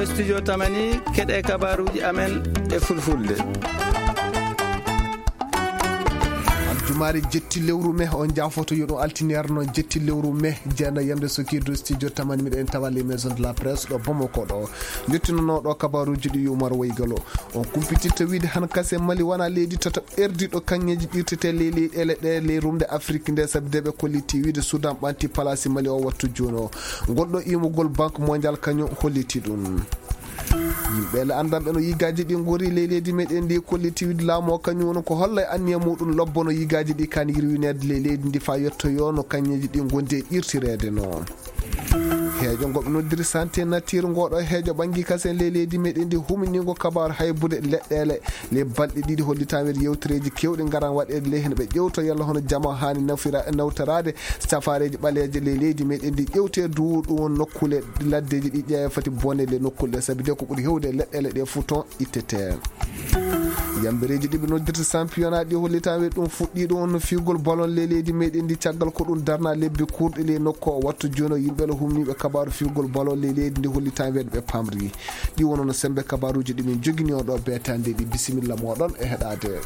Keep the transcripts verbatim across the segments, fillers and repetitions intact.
Studio Tamani, keɗe kabaruuji amen e fulfulde. Aljumaare jetti lewru me, on jaafoto yo ɗum altine arno jetti lewru me, jeena yamde sokiidu studio Tamani, miɗen tawa les maisons de la presse ɗo Bamako ɗo. Jottinonoo ɗo kabaruuji ɗi Umar Waygalo. On kumpitirta wiide han kase Mali wona leydi tata ɓerdi ɗo kaŋŋeeji ɗirtete ley leyɗeele ɗe ley rumde Afrik nde, sabi de ɓe kolliti wiide Sudan ɓanti palaasi Mali o wattu jooni o. Ngol ɗo imugol Banque Mondiale kañum holliti ɗum. Yimɓe le anndanɓe no yigaaji ɗi ngori ley leydi meɗen ndi kolliti wiide laamu o kañum woni ko holla e anniya muɗum lobbono yigaaji ɗi kan yirwineede ley leydi ndi faa yettoyo no kañŋeeji ɗi ngondi e irtireede no. Heejo ngo ɓe noddiri santé nature ngo ɗo heejo ɓangi kasen ley leydi meɗen ndi huminingo kabaaru haybude leɗɗeele. Le balɗe ɗiɗi hollitaa nder yewtereeji keewɗi ngaran waɗeede ley heen ɓe ƴewto yalla hono jama haani nafira-, nawtoraade safaareeji ɓaleeje ley leydi meɗen ndi ƴewte du ɗum won nokkuule laddeeji ɗi ƴeewa foti bone le nokkuule ɗe sabi de ko ɓuri hewde leɗɗeele ɗe fuu toon ittete. Yambereeji ɗi ɓe noddirta championnat ɗi hollitaa we ɗum fuɗɗi ɗum won no fiigol ballon ley leydi meɗen ndi caggal ko ɗum darna lebbi kurɗi ley nokku o wattu jooni o yimɓe le humniiɓe kabaaru fiigol ballon ley leydi ndi hollitaa we ɓe pamri. Ɗi wonono sembe kabaaruuji ɗi min jogini on ɗo beetande ɗi. Bisimilla moɗon e heɗaade.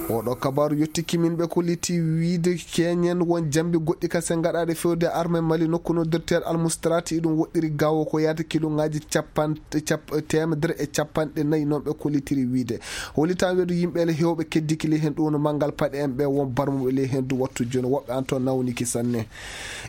Oɗo kabaaru yottiki min ɓe kolliti wiide keñen won jambi goɗɗi kase gaɗaɗe fewde arme Mali nokku no docteur Almustrati iɗum woɗɗiri gawo ko yaata kiluŋaaji capan-, cap-, teemedere e capanɗe nayi non ɓe kollitiri wiide. Hollitaa weedu yimɓe le hewɓe keddiki ley heen ɗum no manngal paɗe en ɓe won barmuɓe ley heen du wattu jooni woɓɓe an toon nawniki sanne.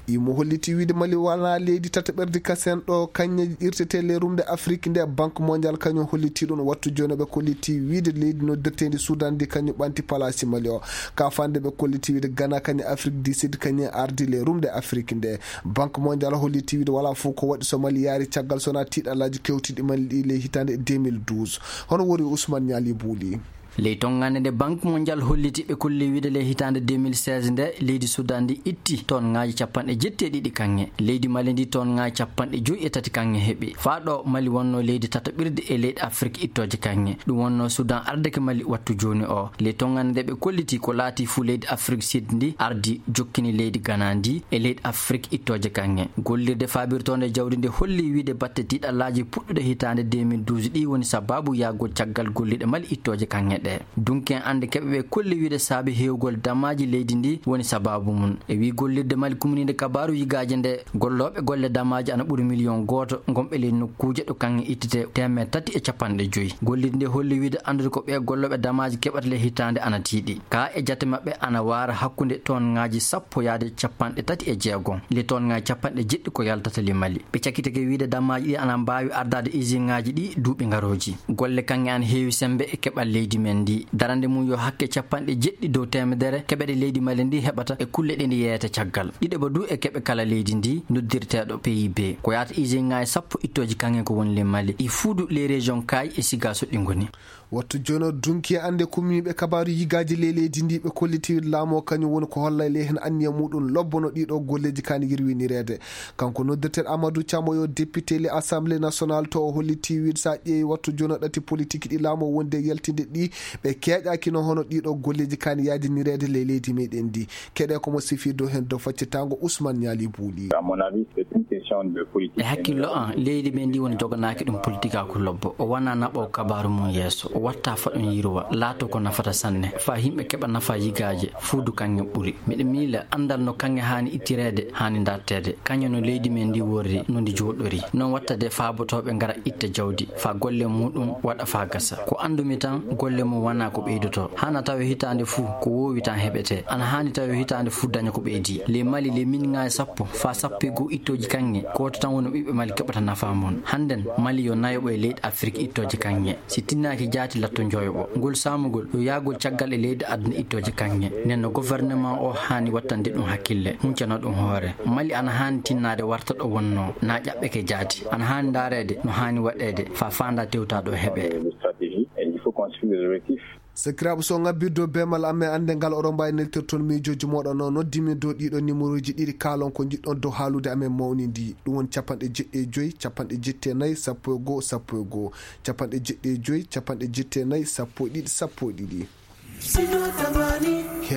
Imo holliti wiide Mali wona leydi tataɓerdi kasen ɗo kañŋe irtete ley rumde Afrik nde Banque Mondiale kañum holliti ɗum wattu jooni ɓe kolliti wiide leydi noddirtendi Sudan ndi kañum ɓanti palaasi Mali o. Ka fande ɓe kolliti wiide Ghana kañum Afrik du Sud kañum ardi ley rumde Afrik nde. Banque Mondiale holliti wiide wala fof ko waɗi so Mali yaari caggal sona tiiɗalaaji kewtiɗi Mali ɗi ley hitaande deux mille douze. Hono wori Ousmane Niali Bouli. Ley tonngande nde Banque Mondiale holliti ɓe kolli wiide ley hitaande deux mille seize nde leydi Sudan ndi itti tonŋaaji capanɗe jetti e ɗiɗi kaŋŋe. Leydi Mali ndi tonŋaaji capanɗe joyi e tati kaŋŋe heɓi. Faa ɗo Mali wonno leydi tataɓirdi e leyɗe Afrik ittooje kaŋŋe. Ɗum wonno Sudan ardeke Mali wattu jooni o. Ley tonngande nde ɓe kolliti ko laati fuu leydi Afrik Sud ndi ardi jokkini leydi Ghana ndi e leydi Afrik ittooje kaŋŋe. Gollirde faabirtoonde jawdi nde holli wiide batte tiiɗalaaji puɗɗuɗe hitaande deux mille douze ɗi woni sababu yahgol caggal golliɗe Mali ittooje kaŋŋe ɗe. Dunki en annde keɓe ɓe kolli wiide saabi heewgol damaaji leydi ndi woni sababu mum. E wii gollirde Mali kumniinde kabaaru yigaaje nde, gollooɓe golle damaaji ana ɓuri miliyon gooto, ngonɓe ley nokkuuje ɗo kaŋŋe ittete teemeɗɗe tati e capanɗe joyi. Gollirde nde holli wiide anndude ko ɓee gollooɓe damaaji keɓata ley hitaande ana tiiɗi. Ka e jate maɓɓe ana waara hakkunde tonŋaaji sappo yaade capanɗe tati e jeegom. Ley tonŋaaji capanɗe jeɗɗi ko yaltata ley Mali. Ɓe cakitake wiide damaaji ɗi ana mbaawi ardaade isinŋaaji ɗi duuɓi ngarooji. Golle kaŋŋe ana heewi semmbe e keɓal leydi men ndi. Darande mum yo hakke capanɗe jeɗɗi dow teemedere keɓeɗe leydi Mali ndi heɓata e kulle ɗe ndi yeeyata caggal. Ɗiɗaɓa du e keɓe kala leydi ndi noddirteeɗo P I B. Ko yaata isinŋaaji sappo ittooji kaŋŋe ko woni ley Mali. Ɗi fuu du ley région Kaayi e Sigaaso ɗi ngoni. Wattu jooni o dunki e annde kummiiɓe kabaaru yigaaji ley leydi ndi ɓe kolliti laamu o kañum woni ko holla ley heen anniya muɗum lobbono ɗiɗo golleeji kaani yirwinireede. Kanko noddirteeɗo Amadou Thiam o yo député ley Assemblée nationale to o holliti wiide so a ƴeewi wattu jooni o ɗati politique ɗi laamu o wondi e yaltinde ɗi ɓe keeƴaaki no hono ɗiɗo golleeji kaani yaajinireede ley leydi meɗen ndi. Keɗe ko mo sifi dow heen dow faccitango Ousmane Niali Bouli. À mon avis, c'est une question de politique. E hakkillo an, leydi men ndi woni joganaaki ɗum politikaaku lobbo. O wona naɓo kabaaru mum yeeso. O watta faɗon yirwa, laato ko nafata sanne. Faa yimɓe keɓa nafa yigaaje, fuu du kaŋŋe ɓuri. Miɗo miila anndal no kaŋŋe haani ittireede, haani darteede. Kaŋŋe no leydi men ndi worri, no ndi jooɗori. Noon watta de faabotooɓe ngara itta jawdi, faa golle muɗum waɗa faa gasa. Ko anndumi tan, golle mum wona ko ɓeydoto. Hana tawe hitaande fuu, ko woowi tan heɓete. Ana haani tawe hitaande fuu daña ko ɓeydi. Ley Mali, ley miliŋaaji sappo faa sappo e goo ittooji kaŋŋe, gooto tan woni ɓiɓɓe Mali keɓata nafa mum. Hannden, Mali yo nayoɓo e leyɗe Afrik ittooje kaŋŋe. Si tinnaaki jaati latto njoyoɓo. Ngol saamugol yo yaagol caggal e leyɗe aduna ittooje kaŋŋe. Nden no gouvernement o haani wattande ɗum hakkille, huncana ɗum hoore. Mali ana haani tinnaade warta ɗo wonnoo, na ƴaɓɓeke jaati. Ana haani ndaareede no haani waɗeede faa faandaa tewtaa ɗo heɓee. Stratégie, et il faut qu'on suive les objectifs. Sakiraaɓe, so ngabbirde dow beemal am e annde ngal, oɗon mbaawi neltirde toon miijooji mooɗon. No noddimi dow ɗiɗo numéroji ɗiɗi, kaalon ko njiɗɗon dow haalude amen mawnindi. Ɗum woni capanɗe jeɗɗi e joyi, capanɗe jetti e nayi, sappo e goo, sappo e goo, capanɗe jeɗɗi e joyi, capanɗe jetti e nayi, sappo e ɗiɗi, sappo e ɗiɗi.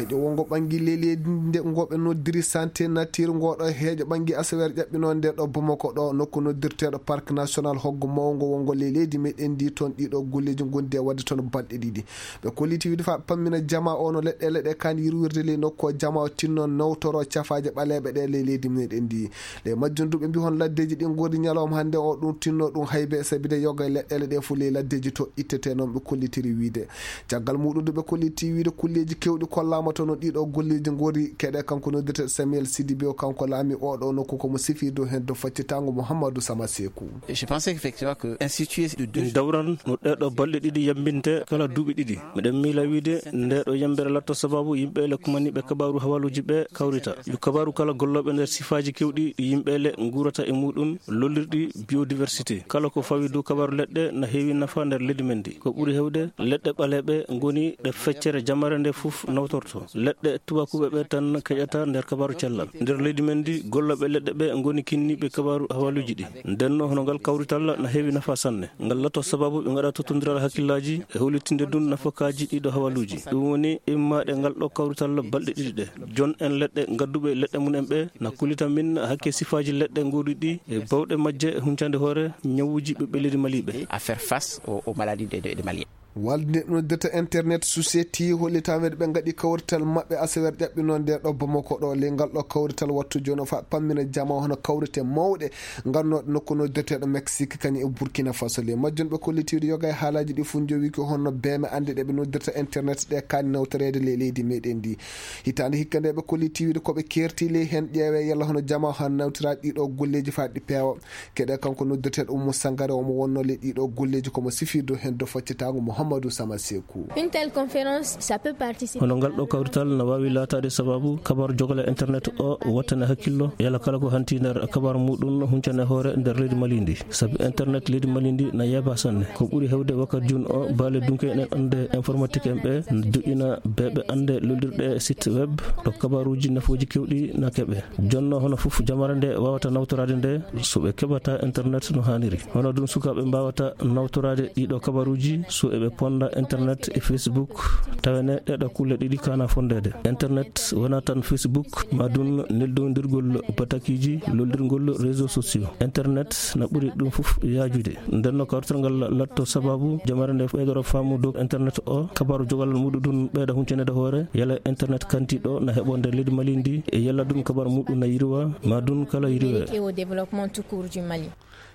Heeƴo wongo ɓangi ley leydi nde ngo ɓe noddiri Santé Nature, ngo ɗo heeƴo ɓangi asaweere ƴaɓɓinoo nde ɗo Bamako ɗo, nokku noddirteeɗo Parc National Hoggo Mawngo wongo ley leydi meɗen ndi. Toon ɗiɗo golleeji ngondi e waɗde toon balɗe ɗiɗi. Ɓe kolliti wiide fa pammina jama o no leɗɗeele ɗe kaan yirwirde ley nokku o, jama o tinno nawtoro cafaaje ɓaleeɓe ɗe ley leydi meɗen ndi. Ley majjum du ɓe mbi hon laddeeji ɗi ngori ñalawma hannde o ɗum tinno ɗum haybe, sabi de yoga e leɗɗeele ɗe fof ley laddeeji to ittete, noon ɓe kollitiri wiide. Caggal muɗum du ɓe kolliti wiide kulleeji kewɗi kollaama to no ɗiɗo golleeji ngori. Keɗe kanko noddirte Samuel Sidibé o, kanko laami oɗo nokku ko mo sifirde heen do faccitaango Mouhamadou Sama Sekou. Je pensais effectivement que un situé de deux Dawral no ɗeɗo balɗe ɗiɗi yambinte kala duuɓi ɗiɗi. Miɗen miila wiide nde ɗo yambere latto sababu yimɓe le kumaniɓe kabaaru hawaluuji ɓe kawrita. Yo kabaaru kala gollooɓe nder sifaaji kewɗi ɗi yimɓe le nguurata e muɗum, lollirɗi biodiversité. Kala ko fawi dow kabaaru leɗɗe na heewi nafa nder leydi men ndi. Ko ɓuri heewde leɗɗe ɓaleeɓe ngoni ɗe feccere jamare nde fof nawtorto. Leɗɗe tubakuɓe ɓe tan keƴata nder kabaaru cellal. Nder leydi men ndi gollooɓe leɗɗe ɓe ngoni kinniiɓe kabaaru hawaluuji ɗi. Ndenno hono ngal kawrital na heewi nafa sanne. Ngal latto sababu ɓe ngaɗa tottondiral hakkillaaji e hollitinde dun nafakaaji ɗiɗo hawaluuji. Ɗum woni immaɗe ngal ɗo kawrital balɗe ɗiɗi ɗe. Jon en leɗɗe ngadduɓe leɗɗe mum en ɓe na kullita min hakke sifaaji leɗɗe ngori ɗi e bawɗe majje e huncande hoore ñawuuji ɓiɓɓe leydi maliɓe. À faire face aux, aux maladies des, des, des Maliens. Walde noddirta internet society hollitaa wiide ɓe ngaɗi kawrital maɓɓe asaweere ƴaɓɓinoo nde ɗo Bamako ɗo. Ley ngal ɗo kawrital wattu jooni o fa pammina jama hono kawrite mawɗe ngannooɗe nokku noddirteeɗo Mexique kañum e Burkina Faso. Ley majjum ɓe kolliti wiide yoga e haalaaji ɗi fof njowi ko honno beeme annde ɗe ɓe noddirta internet ɗe kaani nawtoreede ley leydi meɗen ndi. Hitaande hikka nde ɓe kolliti wiide ko ɓe keerti ley heen ƴeewe yalla hono jama han nawtira ɗiɗo golleeji fa ɗi peewa. Keɗe kanko noddirteeɗo Oumou Sangaré, omo wonno le ɗiɗo golleeji komo sifirde heen do faccitaango Mouhamadou Sama Sekou. Une telle conférence, ça peut participer. Hono ngal ɗo kawrital na waawi laataade sababu kabaru jogale internet o wattane hakkillo, yalla kala ko hanti nder kabaru muɗum huncane hoore nder leydi Mali ndi. Sabi internet leydi Mali ndi na yeeba sanne. Ko ɓuri heewde wakkati jun o, baale dunke en annde informatique en ɓe joƴƴina beeɓe annde lollirɗe site web to kabaruuji nafooji kewɗi na keɓe. Jonno hono fof jamare nde wawata nawtoraade nde, so ɓe keɓata internet no haaniri. Hono ɗum sukaaɓe mbawata nawtoraade ɗiɗo kabaruuji, so eɓe ponda internet e Facebook, tawene ɗeɗo kulle ɗiɗi kana fondeede. Internet wona tan Facebook, ma ɗum neldondirgol batakiiji, loldirgol réseaux sociaux. Internet na ɓuri ɗum fof yaajude. Ndenno kawrital ngal latto sababu jamare nde ɓeydoro faamu dow internet o, kabaru jogal muɗum ɗum ɓeyda huncanaade hoore, yalla internet kantiɗo na heɓo nder leydi Mali ndi, e yalla ɗum kabaru muɗum na yirwa, ma ɗum kala yirwe. Et au développement tout court du Mali.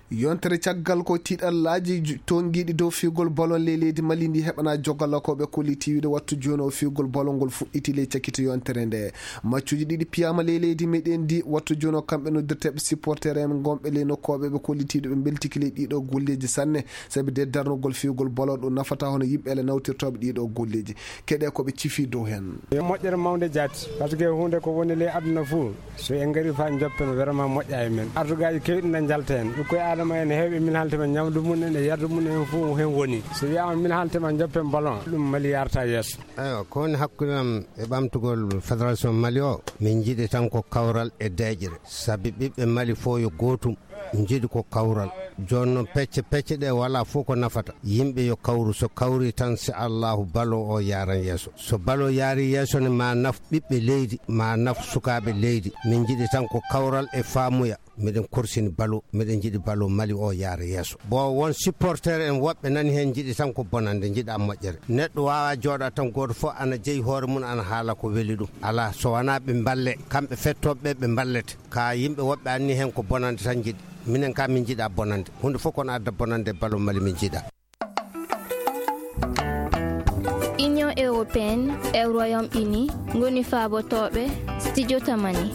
Yontere caggal ko tiiɗallaaji ju-, tongiiɗi dow fiigol balon ley leydi Mali ndi heɓana jogala ko ɓe kolliti wiide wattu jooni o fiigol balon ngol fuɗɗiti ley cakkitu yontere nde. Maccuuji ɗiɗi piyaama ley leydi meɗen ndi wattu jooni o kamɓe noddirteeɓe supporter en ngonɓe ley nokkooɓe ɓe kolliti ɓe mbeltiki ley ɗiɗo golleeji sanne. Sabi de darnugol fiigol bolo ɗum nafata hono yimɓe ele nawtirtooɓe ɗiɗo golleeji. Keɗe ko ɓe cifi dow heen. Yo moƴƴere mawnde jaati, par ce que huunde ko woni ley aduna fuu, so en ngari faa joppen, vraiment moƴƴa e men. Artugaaji keewɗi na njalta heen. Ɓikkoy Aadama en heewɓe min haltima ñamdu mum en e yardu mum en fuu heen woni. So wiyaama min haltima joppen ballon, ɗum Mali yarta yeeso. Eywa, ko woni hakkunde am e ɓamtugol Fédération Mali o, min njiɗi tan ko kawral e deeƴre. Sabi ɓiɓɓe Mali fof yo gootum. Njiɗi ko kawral. Jooni noon pecce pecce ɗe wala fof ko nafata. Yimɓe yo kawru, so kawri tan, si Allahu balo o yaaran yeeso. So balo yaari yeeso ne ma naf ɓiɓɓe leydi, ma naf sukaaɓe leydi. Min njiɗi tan ko kawral e faamuya. Miɗen korsini balo, miɗen njiɗi balo Mali o yaara yeeso. Bo won supporter en woɓɓe nani heen njiɗi tan ko bonande, njiɗa moƴƴere. Neɗɗo wawa jooɗa tan gooto fof ana jeyi hoore mum ana haala ko weli ɗum. Ala, so wona ɓe mballe, kamɓe fettooɓe ɓe, ɓe mballete. Ka yimɓe woɓɓe anni heen ko bonande tan njiɗi. Minen ka min njiɗa bonande. Huunde fof kono adda bonande balo Mali min njiɗa. Union européenne e Royaume-Uni ngoni faabotooɓe Studio Tamani.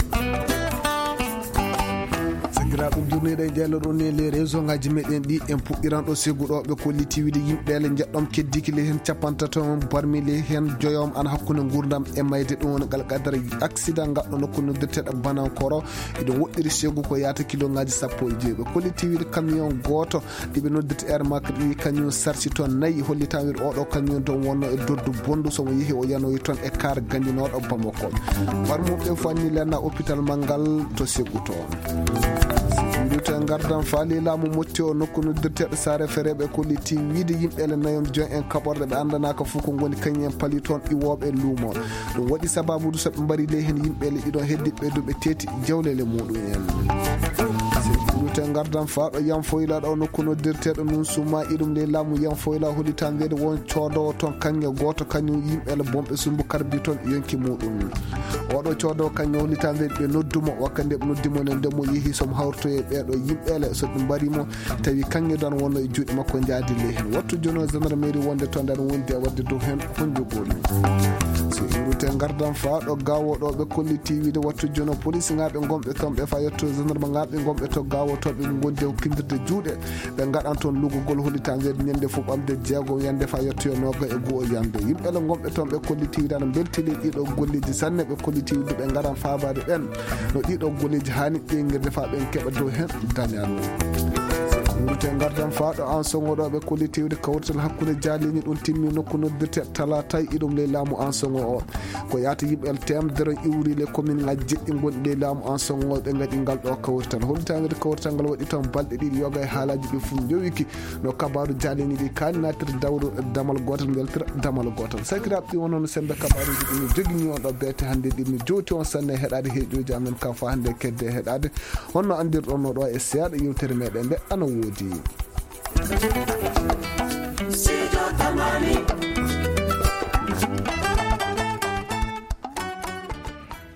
Sakiraaɓe, jurniiɗo e jaallo ɗo ne les réseau ngaji meɗen ɗi en puɗɗiran ɗo seggu ɗo ɓe kolliti wiide yimɓe le njeɗɗom keddiki le heen capantato barmi le heen joyom ana hakkunde nguurndam e mayde. Ɗum woni ngal qadara accident ngal ɗo nokku noddirteɗo Banankoro. Iɗum woɗɗiri seggu ko yaata kilo ngaji sappo e joyi. Ɓe kolliti wiide camion gooto ɗi ɓe noddirta Air Mac ɗi kañum sarsi toon nayi, hollitaa wiide oɗo camion ɗon wonno e doddu bonndu, so mo yehi o yanoyi toon e kaar gandinooɗo Bamako. Barmuɓe fanni lenna hôpital Mangal to seggu toon. Siwilute ngardan faali laamu motti o nokku noddirteeɗo saare fereeɓe kolliti wiide yimɓe ele nayon jon en kaɓorɗe ɓe anndanaaka fof ko ngoni kañum en pali toon iwooɓe luumo. Ɗum waɗi sababude so ɓe mbari ley heen yimɓe ele ɗiɗon heddiɓe duuɓe teeti jawlele muɗum en. Siwilute ngardan faaɗo yan foyla ɗo nokku noddirteeɗo nun suma iɗum ley laamu yan foyla hollitandeede won coodowo toon kaŋŋe gooto kañum yimɓe ele bonɓe sumbu karbi toon yonki muɗum. Oɗo coodo kañum hollitandeede ɓe nodduma wakka nde ɓe noddimo ne nde mo yehi somo hawritoye ɓeɗo yimɓele so ɓe mbarimo tawi kaŋŋe dan wonno e juuɗe makko jaadi ley hen wattu jono gendarmerie wonde to ndan wondi e wadde dow hen honjogol. So iwrute ngardan faaɗo gawo ɗo ɓe kolliti wiide wattu jono police ngaɓe gonɓe toon ɓe fa yetto gendarme ngaɓe gonɓe to gawo to ɓe gondi e hokkindirde juuɗe. Ɓe ngaɗan toon lugugol hollitandeede ñande fof ɓamde jeegom yande fa yettoyo nooga e goo yande yimɓe le gonɓe toon ɓe kollitiiwi tan mbeltini ɗiɗo golleeji sanne ɓe kollitiiwi duɓe ngaran faabaade ɓen no ɗiɗo golleeji haani ƴeengirde fa ɓen keɓa dow heen dañal. Wurte ngardan faaɗo an songo ɗo ɓe kollitiiwde kawrital hakkunde jaaliini ɗum timmi nokku noddirte talatay iɗum ley laamu an songo o. Ko yaata yimɓe teemedere iwri le commune ngaji jeɗɗi gonɗi ley laamu an songo ɓe ngaɗi ngal ɗo kawrital hollitanede kawrital ngal waɗi toon balɗe ɗiɗi yoga e haalaji ɗi fof jowiki no kabaru jalini ɗi kaani natir dawru damal gotal beltira damal gotal sakiraɓe ɗi wonono sembe kabaruji ɗi mi jogini on ɗo beete hannde ɗi mi jowti on sanne heɗade heeƴoji amen ka fa hannde kedde heɗade honno andirɗon no ɗo e seeɗa yewtere meɗen nde ana woodi. Sijo tamani.